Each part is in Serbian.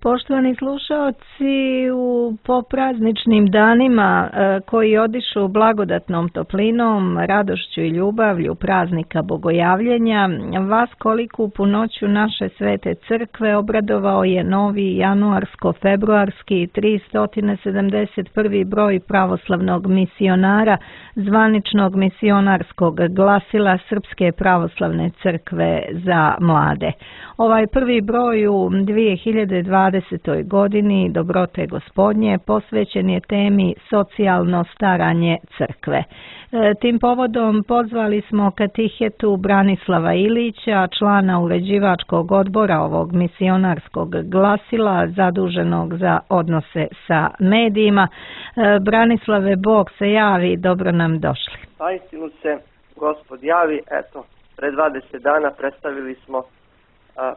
Poštovani slušaoci, u poprazničnim danima koji odišu blagodatnom toplinom, radošću i ljubavlju praznika Bogojavljenja, vas koliku punoću naše svete crkve obradovao je novi januarsko-februarski 371. broj pravoslavnog misionara, zvaničnog misionarskog glasila Srpske pravoslavne crkve za mlade. Ovaj prvi broj u 2020. godini Dobrote Gospodnje posvećen je temi socijalno staranje crkve. Tim povodom pozvali smo katihetu Branislava Ilića, člana uređivačkog odbora ovog misionarskog glasila, zaduženog za odnose sa medijima. Branislave, Bog se javi, dobro nam došli. Istinu se Gospod javi, eto, pre 20 dana predstavili smo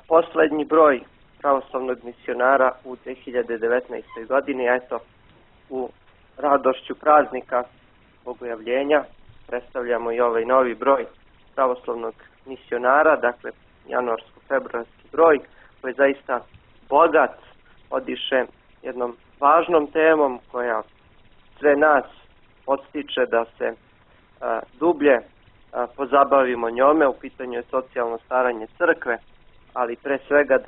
poslednji broj pravoslavnog misionara u 2019. godini, eto, u radošću praznika Bogojavljenja predstavljamo i ovaj novi broj pravoslavnog misionara, dakle januarsko-februarski broj, koji je zaista bogat, odiše jednom važnom temom koja sve nas podstiče da se dublje pozabavimo njome. U pitanju je socijalno staranje crkve, ali pre svega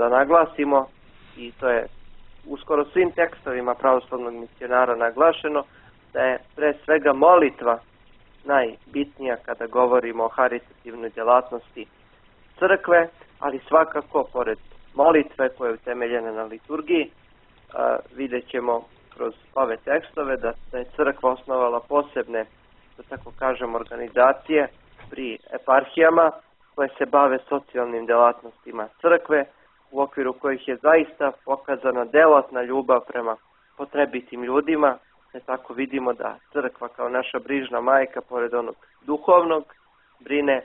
da naglasimo, i to je uskoro svim tekstovima pravoslavnog misionara naglašeno, da je pre svega molitva najbitnija kada govorimo o haritativnoj djelatnosti crkve, ali svakako pored molitve koja je utemeljena na liturgiji, vidjet ćemo kroz ove tekstove da je crkva osnovala posebne, da tako kažem, organizacije pri eparhijama koje se bave socijalnim djelatnostima crkve, u okviru kojih je zaista pokazana delotna ljubav prema potrebitim ljudima, te tako vidimo da crkva kao naša brižna majka, pored onog duhovnog, brine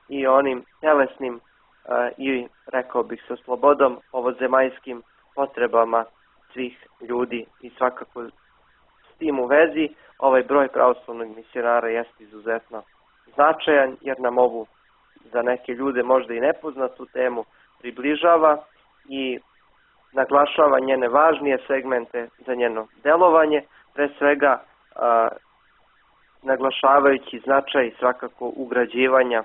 i onim telesnim i, rekao bih sa slobodom, ovozemaljskim potrebama svih ljudi. I svakako s tim u vezi ovaj broj pravoslavnog misionara jeste izuzetno značajan, jer nam ovu za neke ljude možda i nepoznatu temu približava i naglašava njene važnije segmente za njeno delovanje, pre svega naglašavajući značaj svakako ugrađivanja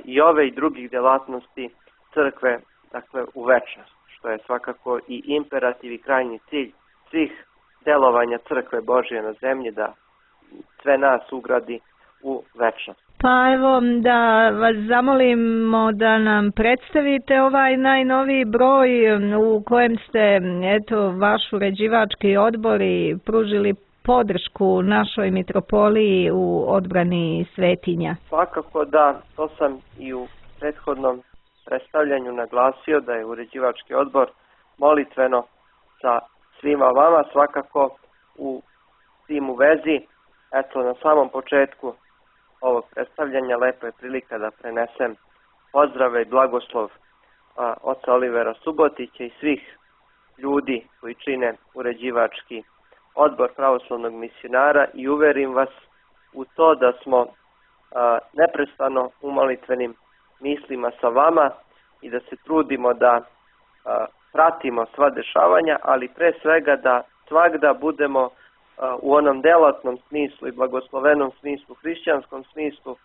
i ove i drugih djelatnosti crkve, dakle, u večnost, što je svakako i imperativ i krajnji cilj svih delovanja crkve Božje na zemlji, da sve nas ugradi u večnost. Pa evo da vas zamolimo da nam predstavite ovaj najnoviji broj u kojem ste, eto, vaš uređivački odbor i pružili podršku našoj mitropoliji u odbrani svetinja. Svakako da, to sam i u prethodnom predstavljanju naglasio, da je uređivački odbor molitveno sa svima vama, svakako u tim u vezi. Eto, na samom početku ovog predstavljanja lepo je prilika da prenesem pozdrave i blagoslov oca Olivera Subotića i svih ljudi koji čine uređivački odbor pravoslavnog misionara, i uverim vas u to da smo neprestano u molitvenim mislima sa vama i da se trudimo da pratimo sva dešavanja, ali pre svega da svagda budemo u onom delatnom smislu i blagoslovenom smislu, hrišćanskom smislu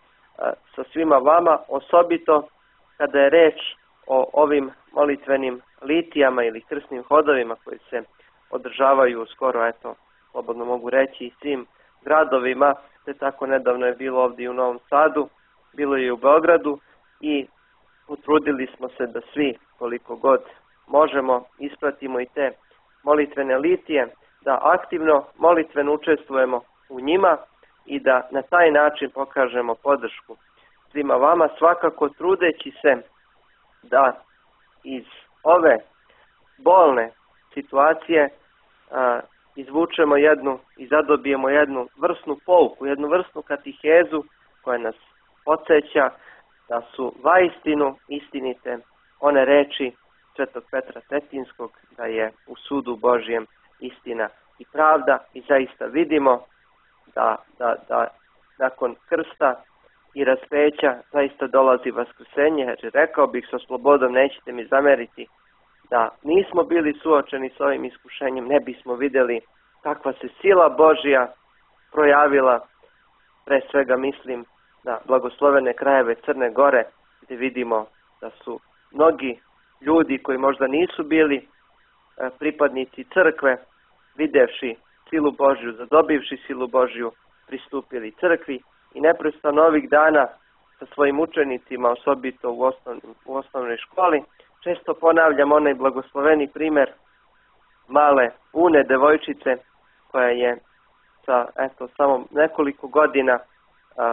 sa svima vama, osobito kada je reč o ovim molitvenim litijama ili krsnim hodovima koji se održavaju skoro, eto, slobodno mogu reći, i svim gradovima, te tako nedavno je bilo ovdje u Novom Sadu, bilo je i u Beogradu, i utrudili smo se da svi, koliko god možemo, ispratimo i te molitvene litije, da aktivno molitveno učestvujemo u njima i da na taj način pokažemo podršku svima vama, svakako trudeći se da iz ove bolne situacije izvučemo jednu i zadobijemo jednu vrsnu pouku, jednu vrsnu katihezu koja nas podsjeća da su vaistinu istinite one reči Svetog Petra Cetinskog, da je u sudu Božjem istina i pravda, i zaista vidimo da nakon krsta i raspeća zaista dolazi vaskrsenje, jer rekao bih sa slobodom, nećete mi zameriti, da nismo bili suočeni s ovim iskušenjem, ne bismo vidjeli kakva se sila Božja projavila. Pre svega mislim na blagoslovene krajeve Crne Gore, gdje vidimo da su mnogi ljudi koji možda nisu bili pripadnici crkve, videvši silu Božju, zadobivši silu Božju, pristupili crkvi i neprestano ovih dana sa svojim učenicima, osobito u osnovnoj školi, često ponavljam onaj blagosloveni primjer male Une devojčice koja je sa samo nekoliko godina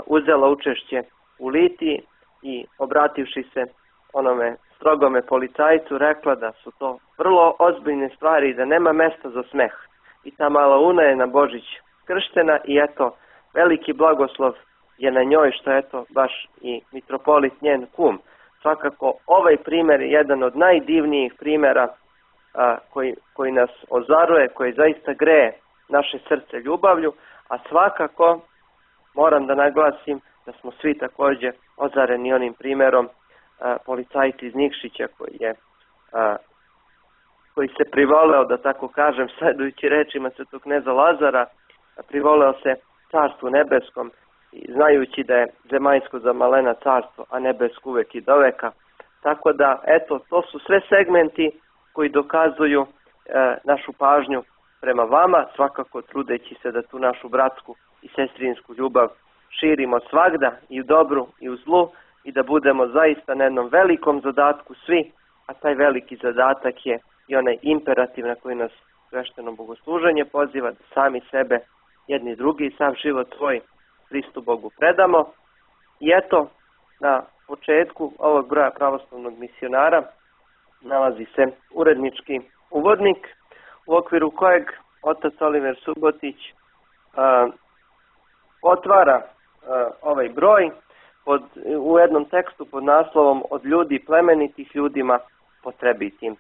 uzela učešće u litiji i obrativši se onome strogome policajcu rekla da su to vrlo ozbiljne stvari i da nema mesta za smeh. I ta mala Una je na Božić krštena i veliki blagoslov je na njoj što baš i mitropolit njen kum. Svakako ovaj primjer je jedan od najdivnijih primjera koji nas ozaruje, koji zaista greje naše srce ljubavlju, a svakako moram da naglasim da smo svi također ozareni onim primjerom policajca iz Nikšića koji se privoleo, da tako kažem, sledujući rečima svetog kneza Lazara, privoleo se carstvu nebeskom, znajući da je zemaljsko za malena carstvo, a nebesko uvek i doveka. Tako da, to su sve segmenti koji dokazuju našu pažnju prema vama, svakako trudeći se da tu našu bratsku i sestrinsku ljubav širimo svagda, i u dobru i u zlu, i da budemo zaista na jednom velikom zadatku svi, a taj veliki zadatak je i onaj imperativ na koji nas svešteno bogosluženje poziva, da sami sebe, jedni drugi i sam život svoj Hristu Bogu predamo. I na početku ovog broja pravoslavnog misionara nalazi se urednički uvodnik u okviru kojeg otac Oliver Subotić otvara ovaj broj u jednom tekstu pod naslovom Od ljudi plemenitih ljudima potrebitim.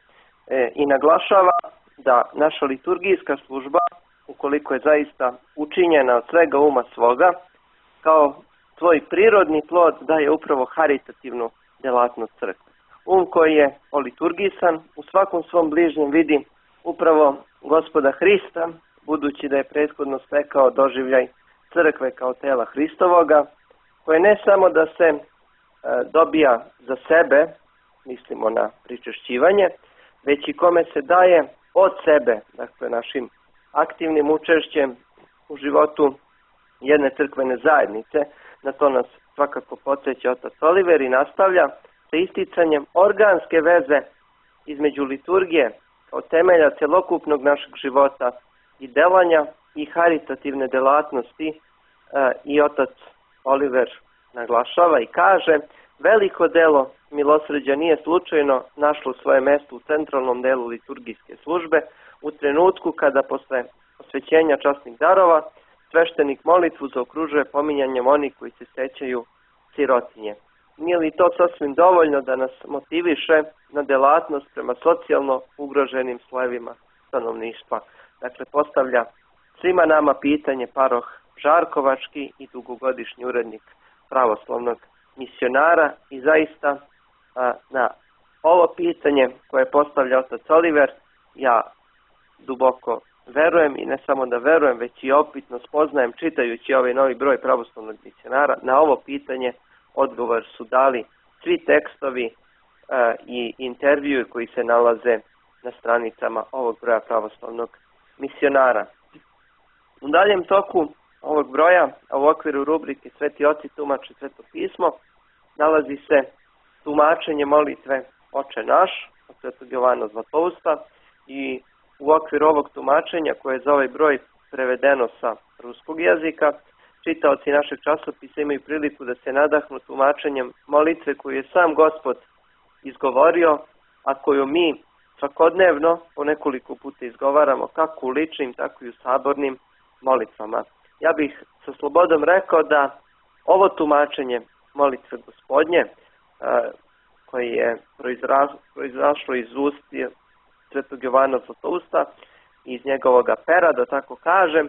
I naglašava da naša liturgijska služba, ukoliko je zaista učinjena od svega uma svoga, kao svoj prirodni plod daje upravo haritativnu djelatnost crkve. Koji je oliturgisan u svakom svom bližnjem vidi upravo Gospoda Hrista, budući da je prethodno stekao doživljaj crkve kao tela Hristovoga, koje ne samo da se dobija za sebe, mislimo na pričešćivanje, već i kome se daje od sebe, dakle našim aktivnim učešćem u životu jedne crkvene zajednice. Na to nas svakako podsjeća otac Oliver i nastavlja sa isticanjem organske veze između liturgije kao temelja celokupnog našeg života i delanja i haritativne delatnosti. I otac Oliver naglašava i kaže: veliko delo milosrđa nije slučajno našlo svoje mjesto u centralnom delu liturgijske službe, u trenutku kada posle osvećenja časnih darova sveštenik molitvu zaokružuje pominjanjem onih koji se sećaju sirotinje. Nije li to sasvim dovoljno da nas motiviše na delatnost prema socijalno ugroženim slojevima stanovništva? Dakle, postavlja svima nama pitanje paroh Žarkovački i dugogodišnji urednik pravoslavnog misionara, i zaista na ovo pitanje koje postavlja otac Oliver ja duboko verujem, i ne samo da verujem, već i opitno spoznajem čitajući ovaj novi broj pravoslavnog misionara. Na ovo pitanje odgovor su dali svi tekstovi i intervjui koji se nalaze na stranicama ovog broja pravoslavnog misionara. U daljem toku ovog broja, a u okviru rubrike Sveti oci tumače Sveto pismo, nalazi se tumačenje molitve Oče naš od Svetog Jovana Zlatousta, i u okviru ovog tumačenja, koje je za ovaj broj prevedeno sa ruskog jezika, čitaoci našeg časopisa imaju priliku da se nadahnu tumačenjem molitve koju je sam Gospod izgovorio, a koju mi svakodnevno po nekoliko puta izgovaramo, kako u ličnim, tako i u sabornim molitvama. Ja bih sa slobodom rekao da ovo tumačenje molitve Gospodnje, koje je proizašlo iz usta Svetog Jovana Zlatousta, iz njegovoga pera, da tako kažem,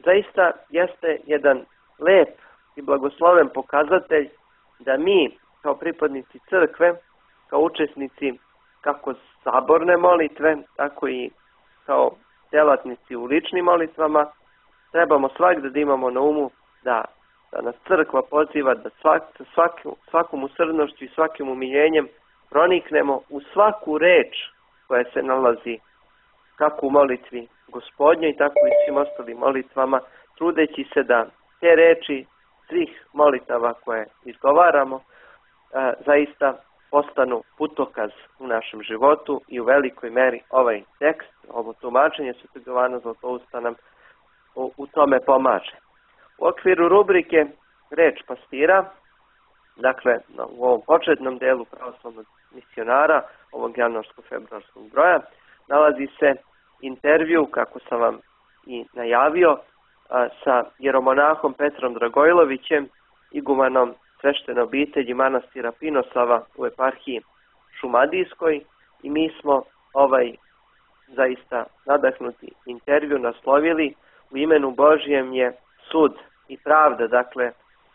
zaista jeste jedan lep i blagosloven pokazatelj da mi kao pripadnici crkve, kao učesnici kako saborne molitve, tako i kao djelatnici u ličnim molitvama, trebamo svakda da imamo na umu da nas crkva poziva da svakom usrdnošću i svakim umiljenjem proniknemo u svaku reč koja se nalazi kako u molitvi Gospodnjoj, tako i svim ostalim molitvama, trudeći se da te reči svih molitava koje izgovaramo zaista postanu putokaz u našem životu i u velikoj meri ovaj tekst, ovo tumačenje Svetog Jovana Zlatousta nam u tome pomaže. U okviru rubrike Reč pastira, dakle u ovom početnom delu pravoslavnog misionara, ovog januarsko-februarskog broja, nalazi se intervju, kako sam vam i najavio, sa jeromonahom Petrom Dragojlovićem, igumanom sveštene obitelji manastira Pinosava u eparhiji Šumadijskoj, i mi smo ovaj zaista nadahnuti intervju naslovili U imenu Božijem je sud i pravda. Dakle,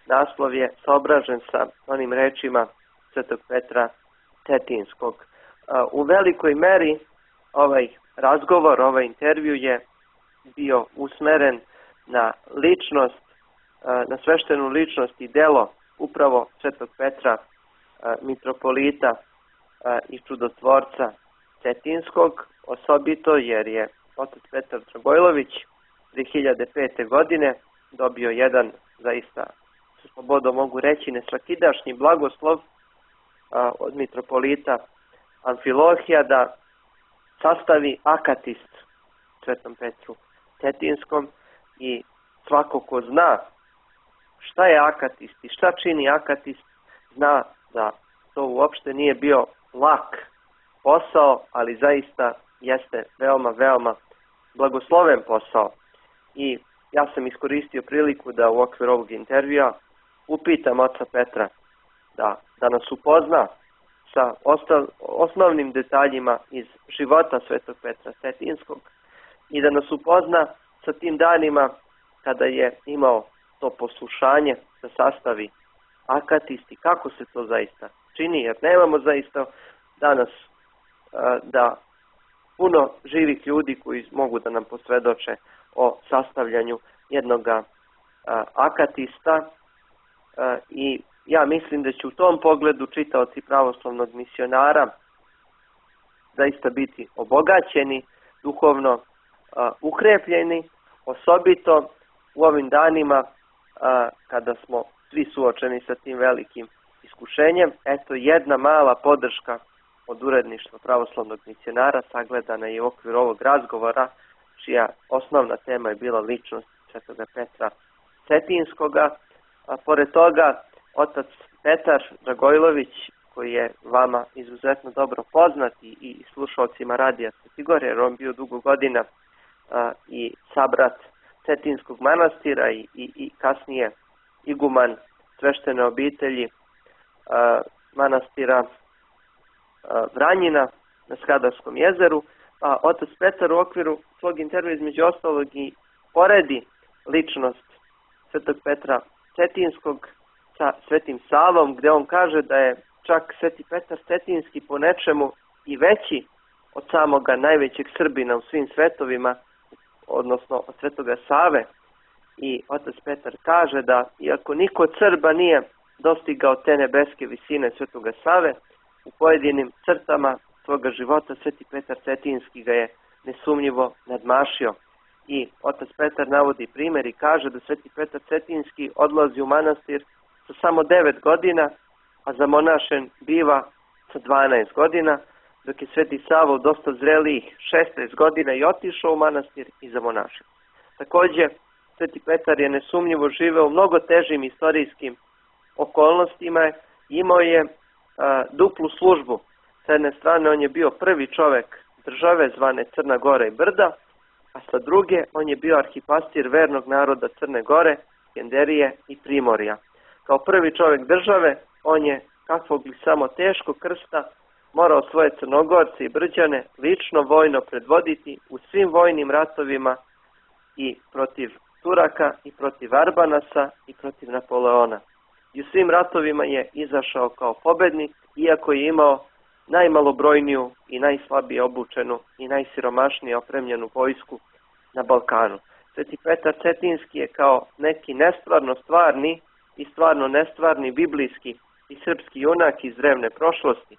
naslov je saobražen sa onim rečima Svetog Petra Cetinskog. U velikoj meri ovaj razgovor, ovaj intervju je bio usmeren na ličnost, na sveštenu ličnost i delo upravo Svetog Petra, mitropolita i čudotvorca Cetinskog, osobito jer je otac Petar Dragojlović 2005. godine dobio jedan, zaista sa slobodom mogu reći, nesvakidašnji blagoslov od mitropolita Amfilohija da sastavi akatist Svetom Petru Cetinskom, i svako ko zna šta je akatist i šta čini akatist, zna da to uopšte nije bio lak posao, ali zaista jeste veoma blagosloven posao. I ja sam iskoristio priliku da u okviru ovog intervjua upitam oca Petra da nas upozna sa osnovnim detaljima iz života Svetog Petra Cetinskog i da nas upozna sa tim danima kada je imao to poslušanje da sastavi akatist i kako se to zaista čini, jer nemamo zaista danas da puno živih ljudi koji mogu da nam posvjedoče o sastavljanju jednog akatista, i ja mislim da će u tom pogledu čitaoci pravoslavnog misionara zaista biti obogaćeni, duhovno ukrepljeni, osobito u ovim danima kada smo svi suočeni sa tim velikim iskušenjem. Eto jedna mala podrška od uredništva pravoslavnog misionara sagledana je u okviru ovog razgovora, čija osnovna tema je bila ličnost Svetoga Petra Cetinskoga. A pored toga, otac Petar Dragojlović, koji je vama izuzetno dobro poznat i slušalcima radija Svetigor, jer on bio dugo godina i sabrat Cetinskog manastira i kasnije iguman sveštene obitelji manastira Vranjina na Skadarskom jezeru. A otac Petar u okviru svog intervjua između ostalog i poredi ličnost Svetog Petra Cetinskog sa Svetim Savom, gdje on kaže da je čak Sveti Petar Cetinski po nečemu i veći od samoga najvećeg Srbina u svim svetovima, odnosno od Svetoga Save. I otac Petar kaže da iako niko od Srba nije dostigao te nebeske visine Svetoga Save, u pojedinim crtama svoga života Sveti Petar Cetinski ga je nesumnjivo nadmašio. I otac Petar navodi primjer i kaže da Sveti Petar Cetinski odlazi u manastir sa samo 9 godina, a zamonašen biva sa 12 godina, dok je Sveti Sava u dosta zrelijih 16 godina i otišao u manastir i zamonašio. Također, Sveti Petar je nesumnjivo živeo u mnogo težim istorijskim okolnostima, imao je duplu službu. S jedne strane on je bio prvi čovjek države zvane Crna Gora i Brda, a sa druge on je bio arhipastir vernog naroda Crne Gore, Skenderije i Primorja. Kao prvi čovjek države on je, kakvog li samo teškog krsta, morao svoje Crnogorce i Brđane lično vojno predvoditi u svim vojnim ratovima i protiv Turaka i protiv Arbanasa i protiv Napoleona. I u svim ratovima je izašao kao pobednik, iako je imao najmalobrojniju i najslabije obučenu i najsiromašnije opremljenu vojsku na Balkanu. Sveti Petar Cetinski je kao neki nestvarno stvarni i stvarno nestvarni biblijski i srpski junak iz drevne prošlosti,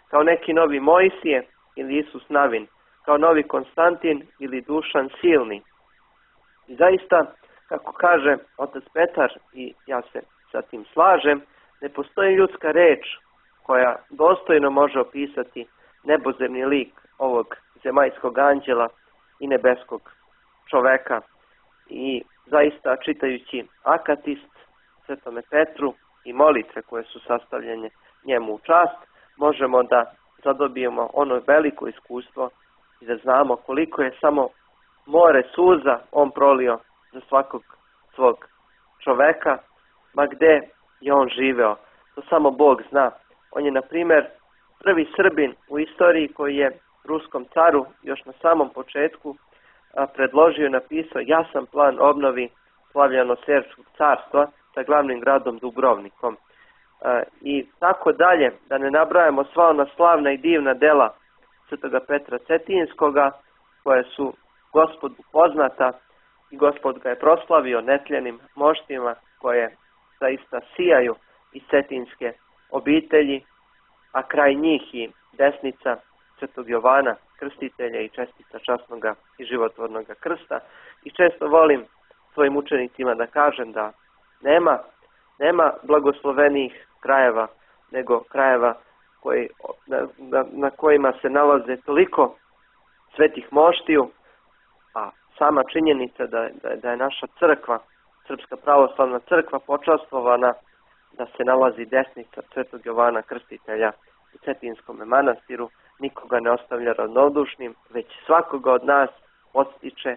kao neki novi Mojsije ili Isus Navin, kao novi Konstantin ili Dušan Silni. I zaista, kako kaže otac Petar, i ja se sa tim slažem, ne postoji ljudska reč koja dostojno može opisati nebozemni lik ovog zemaljskog anđela i nebeskog čoveka. I zaista, čitajući Akatist Svetome Petru i molitve koje su sastavljene njemu u čast, možemo da zadobijemo ono veliko iskustvo i da znamo koliko je samo more suza on prolio za svakog svog čoveka, ma gde je on živeo. To samo Bog zna. On je, na primjer, prvi Srbin u istoriji koji je ruskom caru još na samom početku predložio i napisao jasan plan obnovi Slavljano-Serbskog carstva sa glavnim gradom Dubrovnikom. I tako dalje, da ne nabrajamo sva ona slavna i divna dela Svetoga Petra Cetinskoga, koje su Gospodu poznata i Gospod ga je proslavio netljenim moštima koje zaista sijaju iz cetinske obitelji, a kraj njih i desnica Svetog Jovana Krstitelja i čestica časnoga i životvornoga krsta. I često volim svojim učenicima da kažem da nema blagoslovenijih krajeva nego krajeva na kojima se nalaze toliko svetih moštiju, a sama činjenica da je naša crkva, Srpska pravoslavna crkva, počastvovana da se nalazi desnica Svetog Jovana Krstitelja u Cetinskome manastiru, nikoga ne ostavlja ravnodušnim, već svakoga od nas podstiče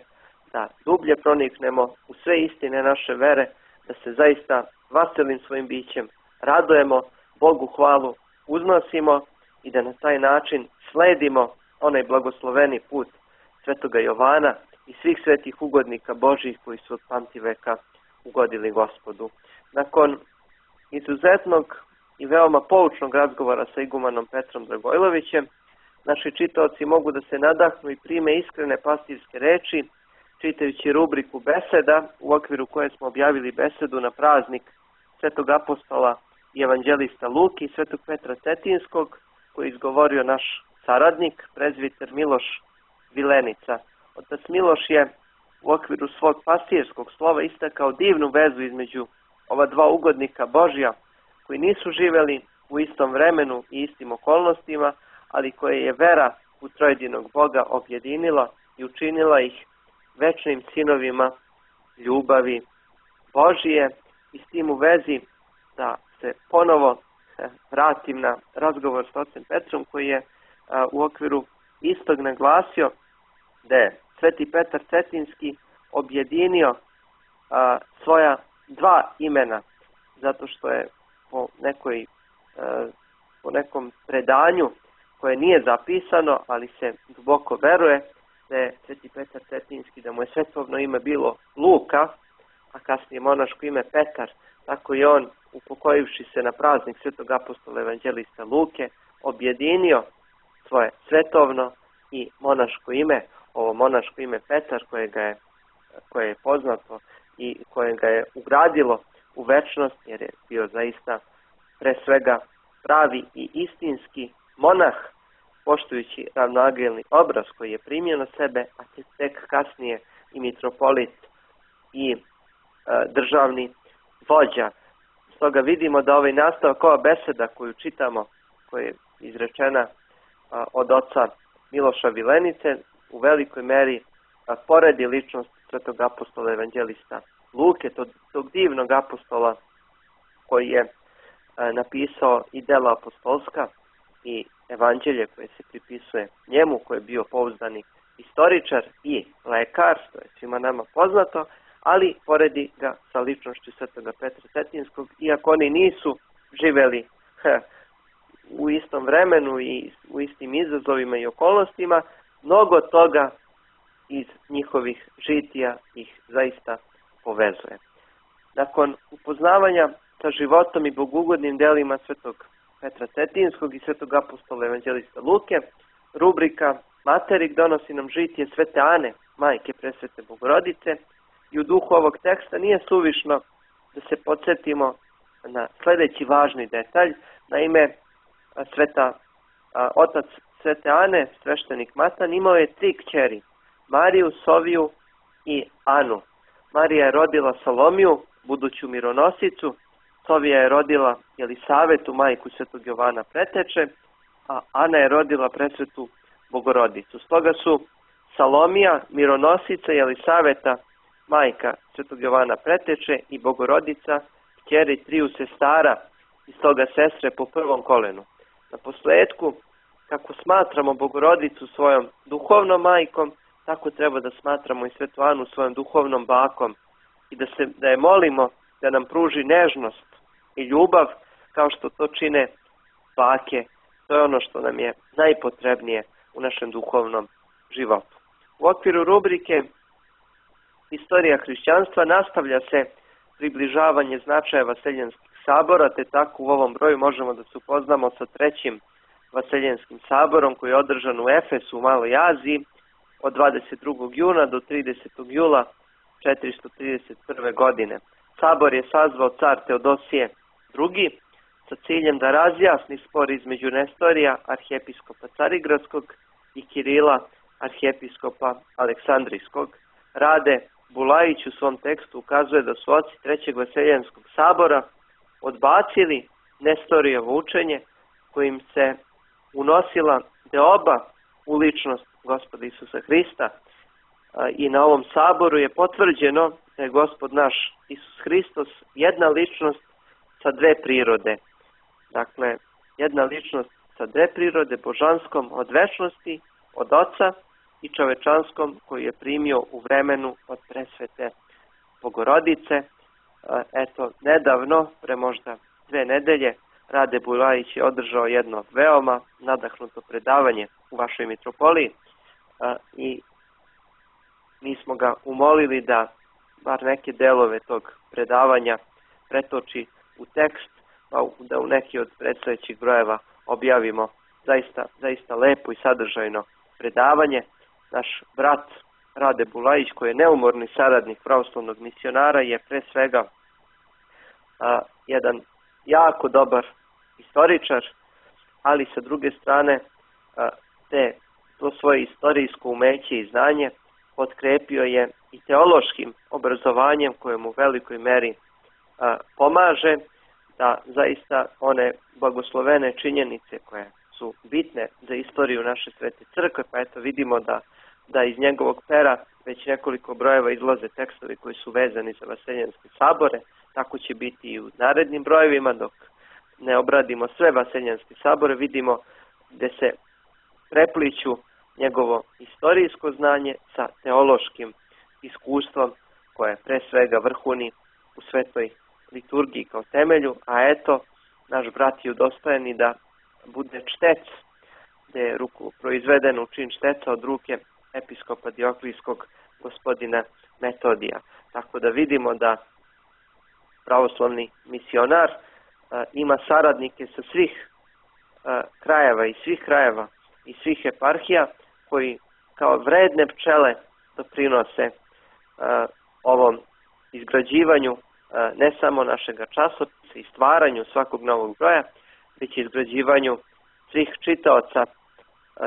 da dublje proniknemo u sve istine naše vere, da se zaista vaselim svojim bićem radujemo, Bogu hvalu uznosimo i da na taj način sledimo onaj blagosloveni put Svetoga Jovana i svih svetih ugodnika Božjih koji su od pamtiveka ugodili Gospodu. Nakon izuzetnog i veoma poučnog razgovora sa igumanom Petrom Dragojlovićem, naši čitaoci mogu da se nadahnu i prime iskrene pastirske reči, čitajući rubriku Beseda, u okviru koje smo objavili besedu na praznik Svetog apostola i evanđelista Luki i Svetog Petra Cetinskog, koji je izgovorio naš saradnik, prezbiter Miloš Vilenica. Otac Miloš je u okviru svog pastirskog slova istakao divnu vezu između ova dva ugodnika Božja, koji nisu živeli u istom vremenu i istim okolnostima, ali koje je vera u trojedinog Boga objedinila i učinila ih večnim sinovima ljubavi Božije. I s tim u vezi da se ponovo vratim na razgovor s ocem Petrom, koji je u okviru istog naglasio da je Sveti Petar Cetinski objedinio svoja dva imena, zato što je po nekom predanju koje nije zapisano, ali se duboko veruje da je Sveti Petar Cetinski, da mu je svetovno ime bilo Luka, a kasnije monaško ime Petar, tako i on, upokojivši se na praznik Svetog apostola evanđelista Luke, objedinio svoje svetovno i monaško ime, ovo monaško ime Petar, koje je poznato i koje ga je ugradilo u večnost, jer je bio zaista pre svega pravi i istinski monah, poštujući ravnoagelni obraz koji je primio na sebe, a tek kasnije i mitropolit i državni vođa. Stoga vidimo da ovaj nastavak, ova beseda koju čitamo, koja je izrečena od oca Miloša Vilenice, u velikoj meri poredi ličnost Svetog apostola evanđelista Luke, tog divnog apostola koji je napisao i dela apostolska i evanđelje koje se pripisuje njemu, koji je bio pouzdani istoričar i lekar, što je svima nama poznato, ali poredi ga sa ličnošću Svetoga Petra Cetinskog, iako oni nisu živeli u istom vremenu i u istim izazovima i okolnostima, mnogo toga iz njihovih žitija ih zaista povezuje. Nakon upoznavanja sa životom i bogugodnim delima Svetog Petra Cetinskog i svetog apostola evanđelista Luke. Rubrika Materik donosi nam žitije Svete Ane, majke presvete Bogorodice, i u duhu ovog teksta nije suvišno da se podsjetimo na sljedeći važni detalj. Naime, otac Svete Ane, sveštenik Matan, imao je 3 kćeri, Mariju, Soviju i Anu. Marija je rodila Salomiju, buduću mironosicu, Sovija je rodila Jelisavetu, majku svetog Jovana Preteče, a Ana je rodila presvetu Bogorodicu. Stoga su Salomija, mironosica, Jelisaveta, majka svetog Jovana Preteče i Bogorodica, kćeri 3 sestara i stoga sestre po prvom kolenu. Na posledku, kako smatramo Bogorodicu svojom duhovnom majkom, tako treba da smatramo i svetu Anu svojom duhovnom bakom i da je molimo da nam pruži nežnost i ljubav kao što to čine bake. To je ono što nam je najpotrebnije u našem duhovnom životu. U okviru rubrike Istorija hrišćanstva nastavlja se približavanje značaja Vaseljenskih sabora, te tako u ovom broju možemo da se upoznamo sa 3. Vaseljenskim saborom koji je održan u Efesu u Maloj Aziji od 22. juna do 30. jula 431. godine. Sabor je sazvao car Teodosije II. Sa ciljem da razjasni spor između Nestorija, arhijepiskopa Carigradskog, i Kirila, arhijepiskopa Aleksandrijskog. Rade Bulajić u svom tekstu ukazuje da su oci 3. Vaseljenskog sabora odbacili Nestorijevo učenje kojim se unosila deoba u ličnost Gospoda Isusa Hrista. I na ovom saboru je potvrđeno da je Gospod naš Isus Hristos jedna ličnost sa 2 prirode. Dakle, jedna ličnost sa 2 prirode, božanskom od večnosti, od Oca, i čovečanskom koji je primio u vremenu od presvete Bogorodice. Eto, nedavno, pre možda 2 nedelje, Rade Bulajić je održao jedno veoma nadahnuto predavanje u vašoj mitropoliji i mi smo ga umolili da bar neke delove tog predavanja pretoči u tekst, pa da u neki od predstojećih brojeva objavimo zaista lepo i sadržajno predavanje. Naš brat Rade Bulajić, koji je neumorni saradnik pravoslavnog misionara, je pre svega jedan jako dobar istoričar, ali sa druge strane to svoje istorijsko umeće i znanje potkrepio je i teološkim obrazovanjem koje mu u velikoj meri pomaže da zaista one blagoslovene činjenice koje su bitne za istoriju naše svete crkve, pa eto vidimo da iz njegovog pera već nekoliko brojeva izlaze tekstovi koji su vezani za Vaseljenske sabore. Tako će biti i u narednim brojevima, dok ne obradimo sve Vaseljenske sabore, vidimo gde se prepliću njegovo istorijsko znanje sa teološkim iskustvom koje pre svega vrhuni u svetoj liturgiji kao temelju, a eto, naš brat je udostojen i da bude čtec, gde je proizveden u čin šteca od ruke episkopa Dioklijskog gospodina Metodija. Tako da vidimo da pravoslavni misionar ima saradnike sa svih krajeva i svih eparhija koji kao vredne pčele doprinose ovom izgrađivanju ne samo našega časopisa i stvaranju svakog novog broja, već izgrađivanju svih čitaoca,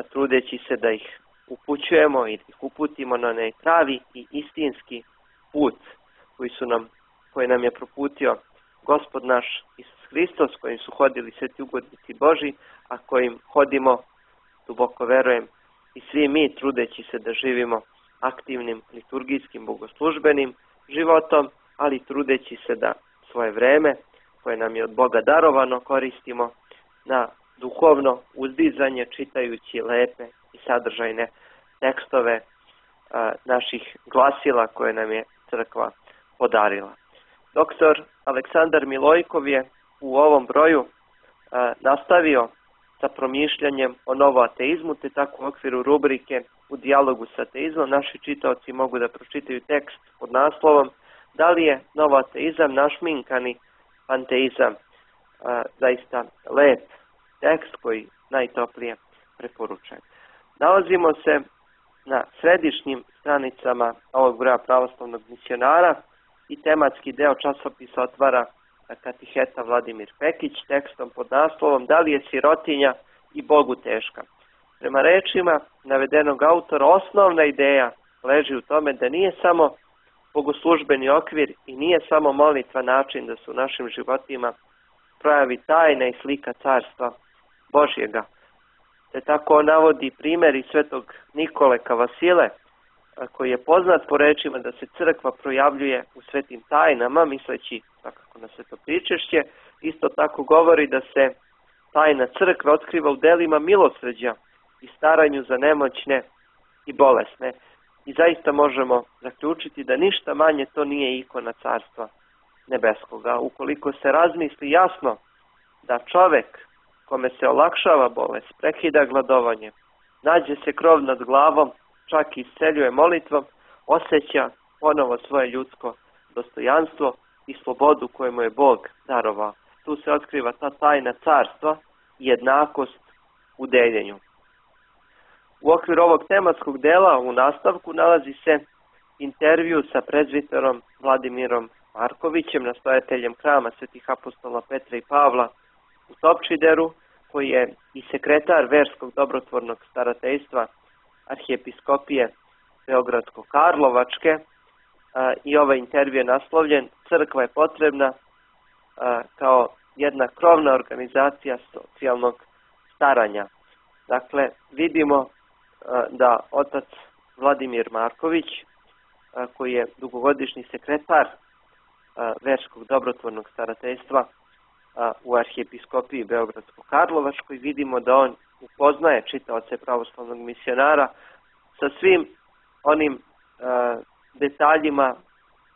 trudeći se da ih upućujemo i da ih uputimo na onaj pravi i istinski put koji nam je proputio Gospod naš Isus Hristos, kojim su hodili sveti ugodnici Boži, a kojim hodimo, duboko verujem, i svi mi, trudeći se da živimo aktivnim liturgijskim bogoslužbenim životom, ali trudeći se da svoje vreme koje nam je od Boga darovano koristimo na duhovno uzdizanje, čitajući lepe i sadržajne tekstove naših glasila koje nam je crkva podarila. Doktor Aleksandar Milojkov je u ovom broju nastavio sa promišljanjem o novoateizmu, te tako u okviru rubrike U dijalogu sa ateizmom naši čitaoci mogu da pročitaju tekst pod naslovom Da li je novoateizam našminkani panteizam? Zaista lep tekst koji najtoplije preporučujem. Nalazimo se na središnjim stranicama ovog broja Pravoslavnog misionara i tematski deo časopisa otvara katiheta Vladimir Pekić tekstom pod naslovom Da li je sirotinja i Bogu teška. Prema rečima navedenog autora, osnovna ideja leži u tome da nije samo bogoslužbeni okvir i nije samo molitva način da se u našim životima projavi tajna i slika carstva Božjega. Te tako navodi primjer i svetog Nikole Kavasile, koji je poznat po rečima da se crkva projavljuje u svetim tajnama, misleći svakako na svetopričešće. Isto tako govori da se tajna crkve otkriva u delima milosrđa i staranju za nemoćne i bolesne. I zaista možemo zaključiti da ništa manje to nije ikona carstva nebeskoga. Ukoliko se razmisli jasno da čovek kome se olakšava bolest, prekida gladovanje, nađe se krov nad glavom, čak i isceljuje molitvom, osjeća ponovo svoje ljudsko dostojanstvo i slobodu koju mu je Bog darovao. Tu se otkriva ta tajna carstva i jednakost u deljenju. U okviru ovog tematskog dela u nastavku nalazi se intervju sa prezbiterom Vladimirom Markovićem, nastojateljem hrama svetih apostola Petra i Pavla u Topčideru, koji je i sekretar verskog dobrotvornog starateljstva arhijepiskopije Beogradsko-Karlovačke, i ovaj intervju je naslovljen Crkva je potrebna kao jedna krovna organizacija socijalnog staranja. Dakle, vidimo da otac Vladimir Marković, koji je dugogodišnji sekretar verskog dobrotvornog starateljstva u arhijepiskopiji Beogradsko-Karlovačkoj, vidimo da on upoznaje čitaoce pravoslavnog misionara sa svim onim detaljima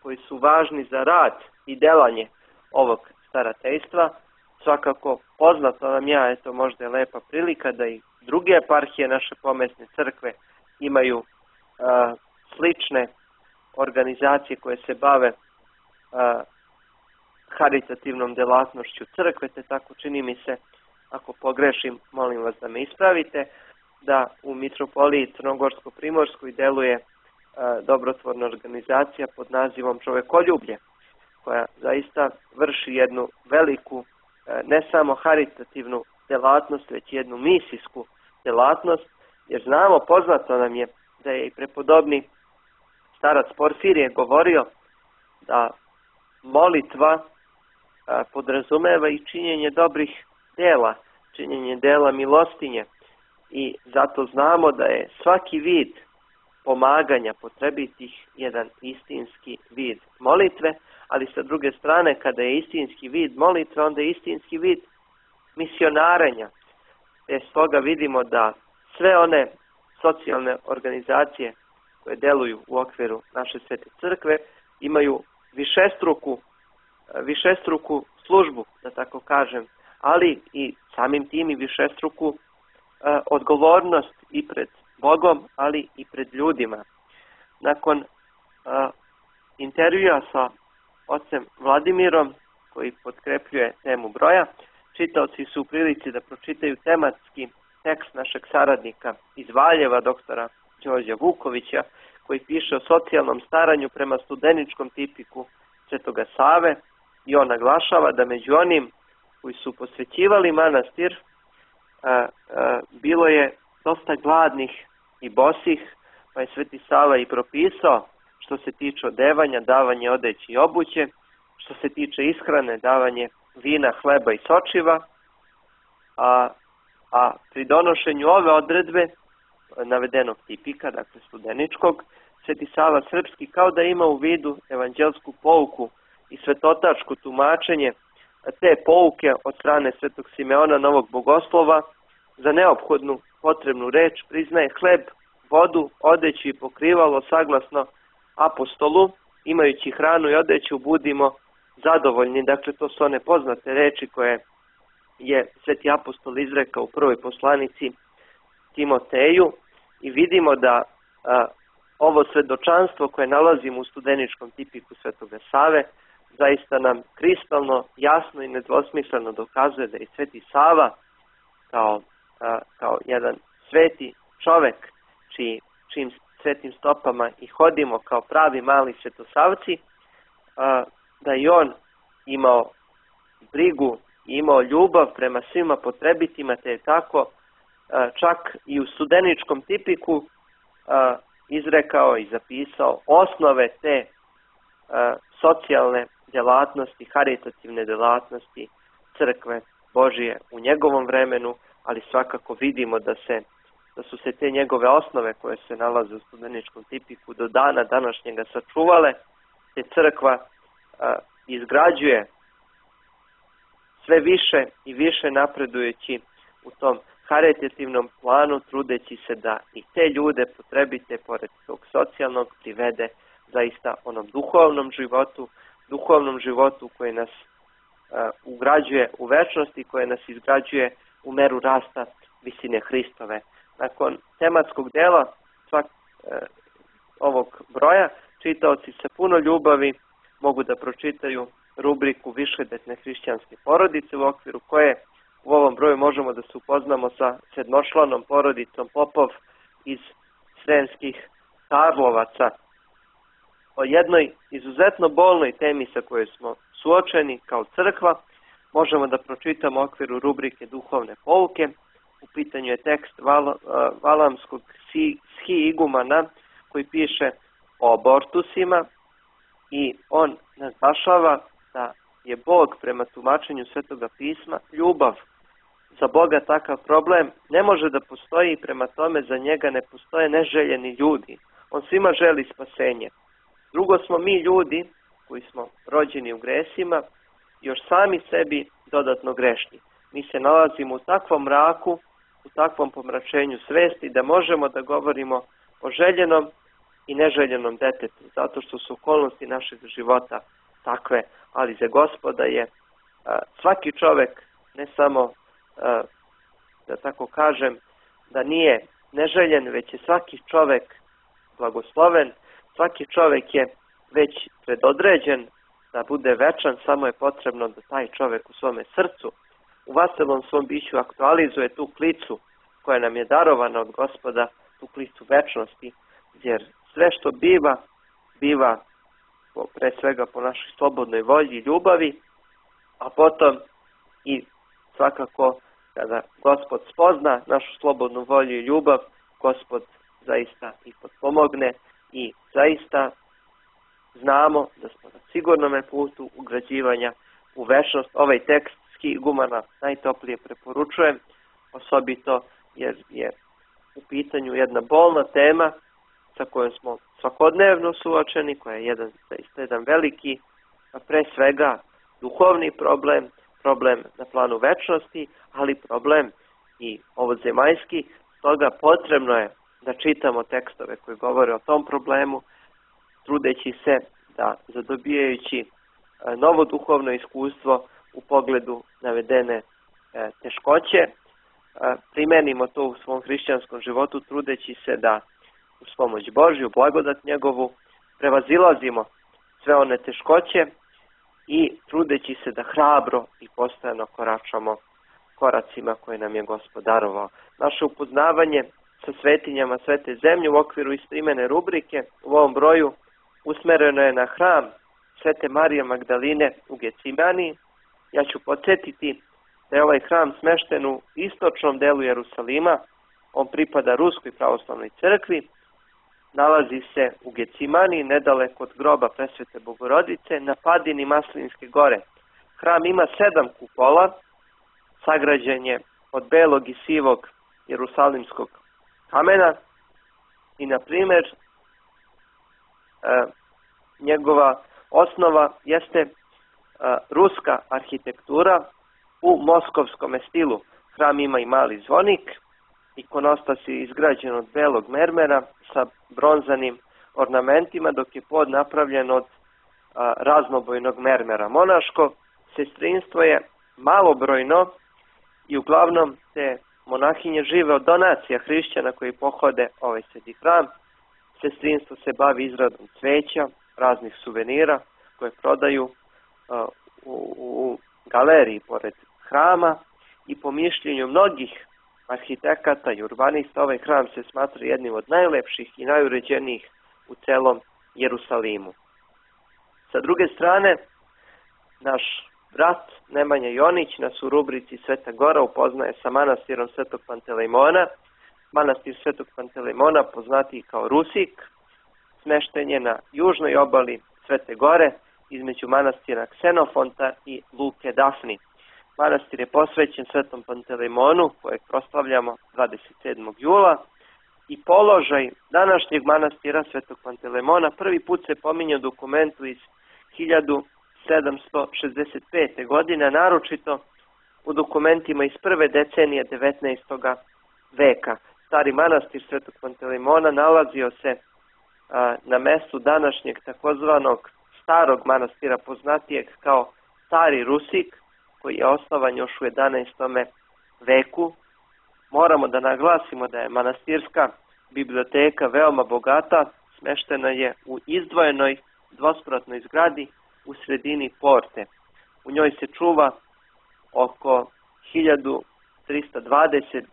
koji su važni za rad i delanje ovog starateljstva. Svakako poznato nam ja, eto možda je lepa prilika da i druge eparhije naše pomesne crkve imaju slične organizacije koje se bave haritativnom delatnošću crkve, te tako čini mi se, ako pogrešim, molim vas da me ispravite, da u mitropoliji Crnogorsko-Primorskoj deluje dobrotvorna organizacija pod nazivom Čovekoljublje, koja zaista vrši jednu veliku, ne samo haritativnu delatnost, već jednu misijsku delatnost, jer znamo, poznato nam je da je i prepodobni starac Porfirije govorio da molitva podrazumeva i činjenje dobrih dela, činjenje dela milostinje, i zato znamo da je svaki vid pomaganja potrebitih jedan istinski vid molitve, ali sa druge strane, kada je istinski vid molitve, onda je istinski vid misionarenja. Stoga vidimo da sve one socijalne organizacije koje deluju u okviru naše svete crkve imaju višestruku službu, da tako kažem, ali i samim tim i višestruku odgovornost i pred Bogom, ali i pred ljudima. Nakon intervjua sa ocem Vladimirom, koji potkrepljuje temu broja, čitaoci su u prilici da pročitaju tematski tekst našeg saradnika iz Valjeva, doktora Đorđa Vukovića, koji piše o socijalnom staranju prema studeničkom tipiku Svetoga Save, i on naglašava da među onim koji su posvećivali manastir bilo je dosta gladnih i bosih, pa je Sveti Sava i propisao što se tiče odevanja, davanje odeće i obuće, što se tiče ishrane, davanje vina, hleba i sočiva, a pri donošenju ove odredbe navedenog tipika, dakle studeničkog, Sveti Sava Srpski kao da ima u vidu evanđelsku pouku i svetotačko tumačenje te pouke od strane Svetog Simeona Novog Bogoslova, za neophodnu potrebnu reč priznaje hleb, vodu, odeću i pokrivalo saglasno apostolu. Imajući hranu i odeću budimo zadovoljni. Dakle, to su one poznate reči koje je Sveti apostol izrekao u prvoj poslanici Timoteju, i vidimo da ovo svedočanstvo koje nalazimo u studeničkom tipiku Svetoga Save zaista nam kristalno, jasno i nedvosmisleno dokazuje da je Sveti Sava kao jedan sveti čovek čijim svetim stopama i hodimo kao pravi mali svetosavci, da i on imao brigu i imao ljubav prema svima potrebitima, te je tako čak i u studeničkom tipiku izrekao i zapisao osnove te socijalne djelatnosti, haritativne djelatnosti crkve Božije u njegovom vremenu, ali svakako vidimo da su se te njegove osnove koje se nalaze u studeničkom tipiku do dana današnjega sačuvale, te crkva izgrađuje sve više i više napredujući u tom haritativnom planu, trudeći se da i te ljude potrebite pored tog socijalnog privede zaista onom duhovnom životu koji nas ugrađuje u večnost i koje nas izgrađuje u meru rasta visine Hristove. Nakon tematskog dela ovog broja, čitaoci sa puno ljubavi mogu da pročitaju rubriku Višedetne hrišćanske porodice, u okviru koje u ovom broju možemo da se upoznamo sa sedmočlanom porodicom Popov iz Sremskih Karlovaca. O jednoj izuzetno bolnoj temi sa kojoj smo suočeni kao crkva možemo da pročitamo u okviru rubrike Duhovne pouke. U pitanju je tekst Valamskog schi-igumana koji piše o abortusima i on naglašava da je Bog prema tumačenju Svetoga pisma ljubav. Za Boga takav problem ne može da postoji i prema tome za njega ne postoje neželjeni ljudi. On svima želi spasenje. Drugo smo mi ljudi koji smo rođeni u gresima još sami sebi dodatno grešni. Mi se nalazimo u takvom mraku, u takvom pomračenju svesti da možemo da govorimo o željenom i neželjenom detetu, zato što su okolnosti našeg života takve, ali za Gospoda je svaki čovek, ne samo da tako kažem, da nije neželjen, već je svaki čovek blagosloven, svaki čovek je već predodređen da bude večan, samo je potrebno da taj čovek u svome srcu, u vaselom svom biću aktualizuje tu klicu koja nam je darovana od Gospoda, tu klicu večnosti, jer sve što biva pre svega po našoj slobodnoj volji i ljubavi, a potom i svakako kada Gospod spozna našu slobodnu volju i ljubav, Gospod zaista i potpomogne i zaista znamo da smo na sigurnome putu ugrađivanja u večnost. Ovaj tekst schi-igumana najtoplije preporučujem, osobito jer je u pitanju jedna bolna tema sa kojom smo svakodnevno suočeni, koja je jedan veliki, a pre svega duhovni problem na planu večnosti, ali problem i ovozemaljski. Stoga potrebno je da čitamo tekstove koji govore o tom problemu, trudeći se da zadobijajući novo duhovno iskustvo u pogledu navedene teškoće, primenimo to u svom hrišćanskom životu, trudeći se da uz pomoć Božju, blagodat njegovu, prevazilazimo sve one teškoće i trudeći se da hrabro i postojano koračamo koracima koje nam je Gospod darovao. Naše upoznavanje sa svetinjama Svete zemlje u okviru istoimene rubrike u ovom broju usmereno je na hram Svete Marije Magdaline u Gecimaniji. Ja ću podsjetiti da je ovaj hram smešten u istočnom delu Jerusalima. On pripada Ruskoj pravoslavnoj crkvi. Nalazi se u Gecimaniji, nedaleko od groba Presvete Bogorodice, na padini Maslinske gore. Hram ima 7 kupola, sagrađen je od belog i sivog jerusalimskog kamena i, na primjer, njegova osnova jeste ruska arhitektura u moskovskom stilu. Hram ima i mali zvonik, ikonostas je izgrađen od belog mermera sa bronzanim ornamentima, dok je pod napravljen od raznobojnog mermera. Monaško sestrinstvo je malobrojno i uglavnom te monahinje žive od donacija hrišćana koji pohode ovaj sveti hram. Sestrinstvo se bavi izradom cveća, raznih suvenira koje prodaju u galeriji pored hrama i po mišljenju mnogih arhitekata i urbanista ovaj hram se smatra jednim od najlepših i najuređenijih u celom Jerusalimu. Sa druge strane, naš brat Nemanja Jonić nas u rubrici Sveta Gora upoznaje sa manastirom Svetog Pantelejmona. Manastir Svetog Pantelejmona, poznatiji kao Rusik, smešten je na južnoj obali Svete Gore između manastira Ksenofonta i Luke Dafni. Manastir je posvećen Svetom Pantelejmonu, kojeg proslavljamo 27. jula, i položaj današnjeg manastira Svetog Pantelejmona prvi put se pominje u dokumentu iz 1765. godine, naročito u dokumentima iz prve decenije 19. veka. Stari manastir Svetog Pantelejmona nalazio se na mestu današnjeg takozvanog starog manastira, poznatijeg kao Stari Rusik, koji je osnovan još u 11. veku. Moramo da naglasimo da je manastirska biblioteka veoma bogata, smeštena je u izdvojenoj dvospratnoj zgradi u sredini porte. U njoj se čuva oko 1320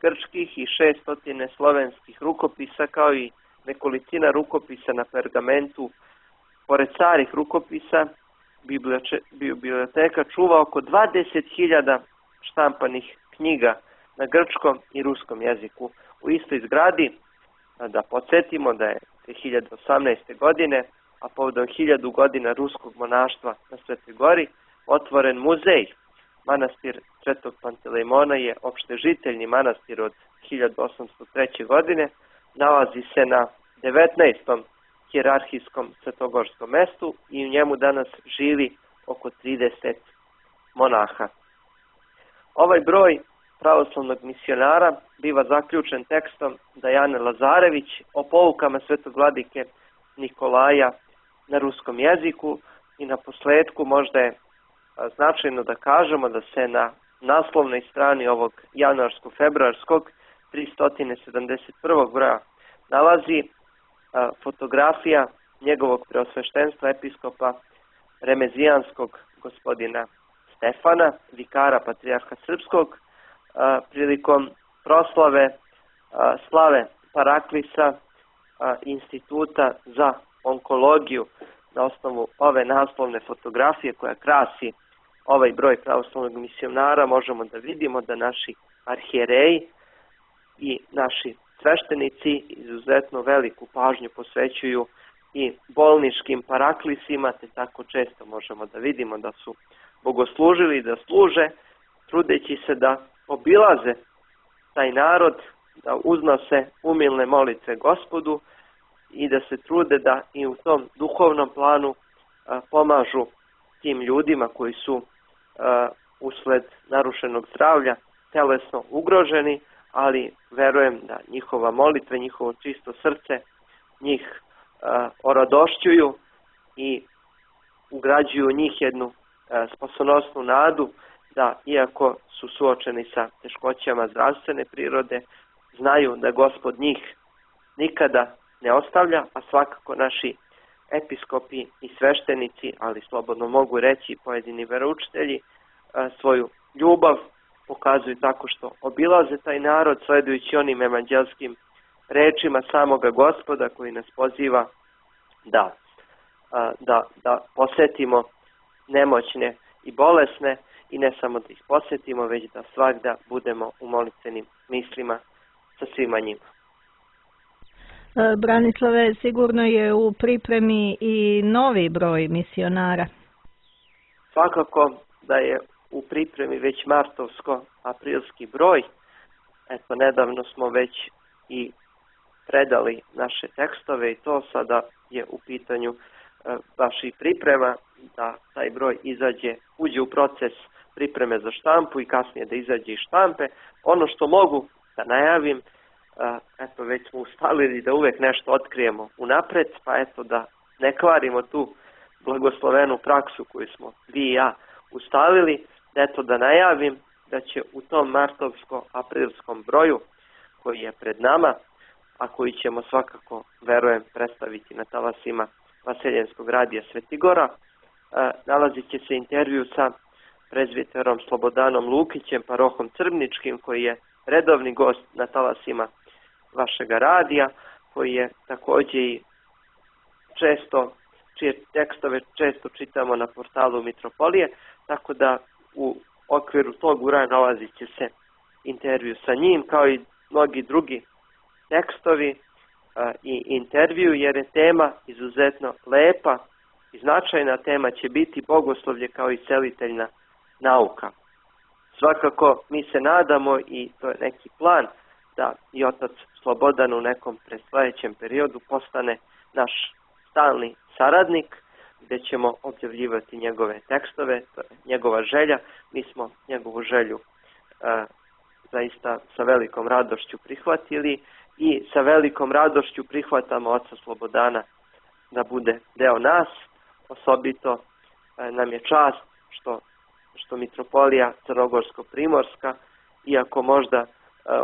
grčkih i 600 slovenskih rukopisa, kao i nekolicina rukopisa na pergamentu. Pored starih rukopisa, biblioteka čuva oko 20.000 štampanih knjiga na grčkom i ruskom jeziku. U istoj zgradi, da podsjetimo da je 2018. godine, a povodom 1000 godina ruskog monaštva na Svetoj Gori, otvoren muzej. Manastir Svetog Pantelejmona je opštežiteljni manastir od 1803. godine, nalazi se na 19. hijerarhijskom svetogorskom mestu i u njemu danas živi oko 30 monaha. Ovaj broj pravoslavnog misionara biva zaključen tekstom Dajane Lazarević o poukama svetog vladike Nikolaja na ruskom jeziku i na posledku možda je značajno da kažemo da se na naslovnoj strani ovog januarsko-februarskog 371. broja nalazi fotografija njegovog preosveštenstva episkopa Remezijanskog gospodina Stefana, vikara patrijarha srpskog, prilikom proslave slave Paraklisa Instituta za onkologiju. Na osnovu ove naslovne fotografije koja krasi ovaj broj pravoslavnog misionara možemo da vidimo da naši arhijereji i naši sveštenici izuzetno veliku pažnju posvećuju i bolničkim paraklisima, te tako često možemo da vidimo da su bogoslužili i da služe, trudeći se da obilaze taj narod, da uznose umilne molitve Gospodu i da se trude da i u tom duhovnom planu pomažu tim ljudima koji su usled narušenog zdravlja telesno ugroženi, ali verujem da njihova molitva, njihovo čisto srce njih oradošćuju i ugrađuju u njih jednu spasonosnu nadu da iako su suočeni sa teškoćama zdravstvene prirode, znaju da Gospod njih nikada ne ostavlja, a svakako naši episkopi i sveštenici, ali slobodno mogu reći pojedini veroučitelji, svoju ljubav pokazuju tako što obilaze taj narod, sledujući onim evanđelskim rečima samoga Gospoda koji nas poziva da posetimo nemoćne i bolesne i ne samo da ih posetimo, već da svagda budemo u molitvenim mislima sa svima njima. Branislave, sigurno je u pripremi i novi broj misionara. Svakako da je u pripremi već martovsko-aprilski broj. Eto, nedavno smo već i predali naše tekstove i to sada je u pitanju baš i priprema da taj broj uđe u proces pripreme za štampu i kasnije da izađe iz štampe. Ono što mogu da najavim, eto već smo ustalili da uvek nešto otkrijemo unapred, pa eto da ne kvarimo tu blagoslovenu praksu koju smo vi i ja ustalili, eto da najavim da će u tom martovsko-aprilskom broju koji je pred nama, a koji ćemo svakako, verujem, predstaviti na talasima Vaseljenskog radija Svetigora, nalazit će se intervju sa prezbiterom Slobodanom Lukićem, parohom Crvničkim, koji je redovni gost na talasima vašega radija, koji je također i čije tekstove često čitamo na portalu Mitropolije, tako da u okviru tog uraja nalazit će se intervju sa njim, kao i mnogi drugi tekstovi i intervju, jer je tema izuzetno lepa i značajna. Tema će biti bogoslovlje kao i celiteljna nauka. Svakako mi se nadamo, i to je neki plan, da i otac Slobodan u nekom predstojećem periodu postane naš stalni saradnik, gdje ćemo objavljivati njegove tekstove. To je njegova želja. Mi smo njegovu želju zaista sa velikom radošću prihvatili i sa velikom radošću prihvatamo oca Slobodana da bude deo nas. Osobito nam je čast što Mitropolija Crnogorsko-Primorska, iako možda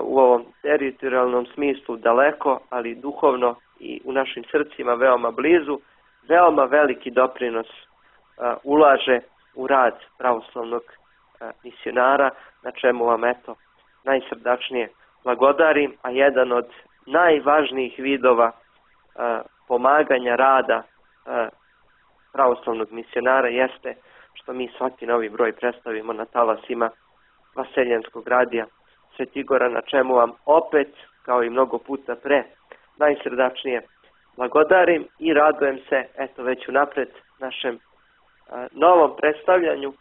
u ovom teritorijalnom smislu daleko, ali duhovno i u našim srcima veoma blizu, veoma veliki doprinos ulaže u rad pravoslavnog misionara, na čemu vam najsrdačnije blagodarim, a jedan od najvažnijih vidova pomaganja rada pravoslavnog misionara jeste što mi svaki novi broj predstavimo na talasima Vaseljenskog radija Svetigora, na čemu vam opet, kao i mnogo puta pre, najsrdačnije blagodarim i radujem se već unapred našem novom predstavljanju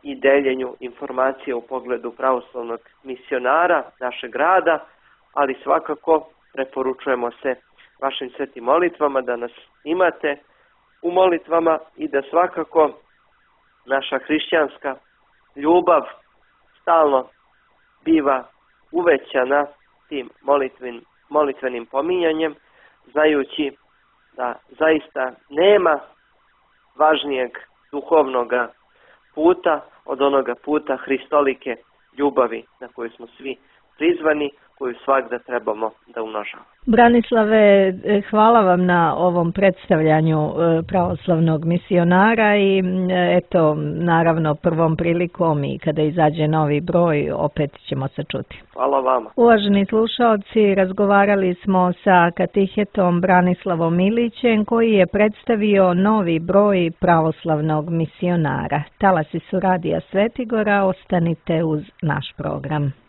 i deljenju informacije u pogledu pravoslavnog misionara našeg rada, ali svakako preporučujemo se vašim svetim molitvama, da nas imate u molitvama i da svakako naša hrišćanska ljubav stalno biva uvećana tim molitvenim pominjanjem, znajući da zaista nema važnijeg duhovnoga puta od onoga puta hristolike ljubavi na koju smo svi prizvani, koju svakda trebamo da umnožavamo. Branislave, hvala vam na ovom predstavljanju pravoslavnog misionara i naravno prvom prilikom i kada izađe novi broj opet ćemo se čuti. Hvala vama. Uvaženi slušaoci, razgovarali smo sa katehetom Branislavom Milićem, koji je predstavio novi broj pravoslavnog misionara. Talasi su radija Svetigora, ostanite uz naš program.